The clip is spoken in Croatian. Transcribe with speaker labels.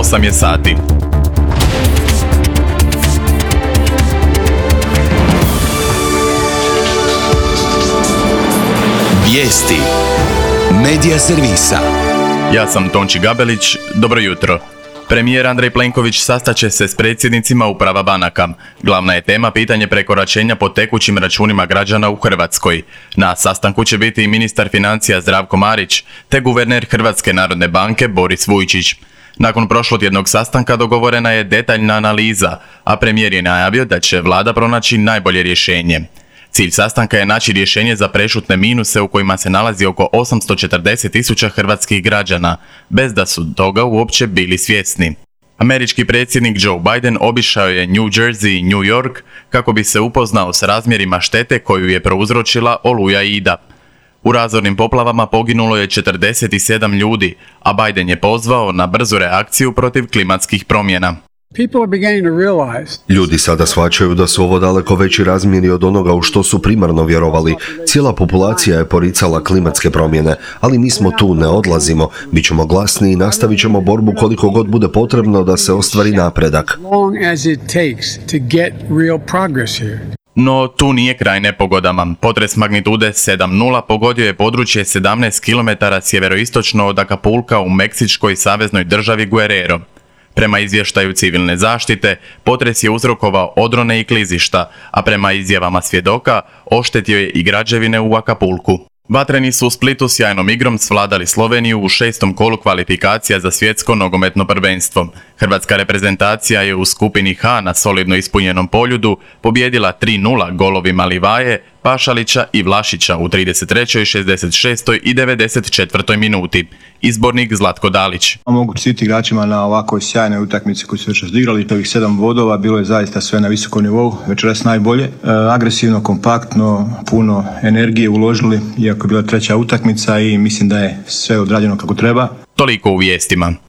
Speaker 1: 8 je sati.
Speaker 2: Vijesti Medija servisa.
Speaker 1: Ja sam Tonči Gabelić, dobro jutro. Premijer Andrej Plenković sastaće se s predsjednicima uprava banaka. Glavna je tema pitanje prekoračenja po tekućim računima građana u Hrvatskoj. Na sastanku će biti i ministar financija Zdravko Marić, te guverner Hrvatske narodne banke Boris Vujčić. Nakon prošlotjednog sastanka dogovorena je detaljna analiza, a premijer je najavio da će vlada pronaći najbolje rješenje. Cilj sastanka je naći rješenje za prešutne minuse u kojima se nalazi oko 840.000 hrvatskih građana, bez da su toga uopće bili svjesni. Američki predsjednik Joe Biden obišao je New Jersey i New York kako bi se upoznao s razmjerima štete koju je prouzročila oluja Ida. U razornim poplavama poginulo je 47 ljudi, a Biden je pozvao na brzu reakciju protiv klimatskih promjena.
Speaker 3: Ljudi sada shvaćaju da su ovo daleko veći razmjeri od onoga u što su primarno vjerovali. Cijela populacija je poricala klimatske promjene, ali mi smo tu, ne odlazimo. Bit ćemo glasni i nastavit ćemo borbu koliko god bude potrebno da se ostvari napredak.
Speaker 1: No, tu nije kraj nepogodama. Potres magnitude 7.0 pogodio je područje 17 km sjeveroistočno od Acapulca u meksičkoj saveznoj državi Guerrero. Prema izvještaju civilne zaštite, potres je uzrokovao odrone i klizišta, a prema izjavama svjedoka, oštetio je i građevine u Acapulcu. Vatreni su u Splitu sjajnom igrom svladali Sloveniju u 6. kolu kvalifikacija za svjetsko nogometno prvenstvo. Hrvatska reprezentacija je u skupini H na solidno ispunjenom poljudu pobijedila 3-0 golovima Livaje, Pašalića i Vlašića u 33., 66. i 94. minuti. Izbornik Zlatko Dalić.
Speaker 4: Mogu čestitati igračima na ovakvoj sjajnoj utakmici koju su večeras odigrali. Ovih 7 bodova bilo je zaista sve na visokom nivou, večeras najbolje. Agresivno, kompaktno, puno energije uložili, iako je bila treća utakmica i mislim da je sve odrađeno kako treba.
Speaker 1: Toliko u vijestima.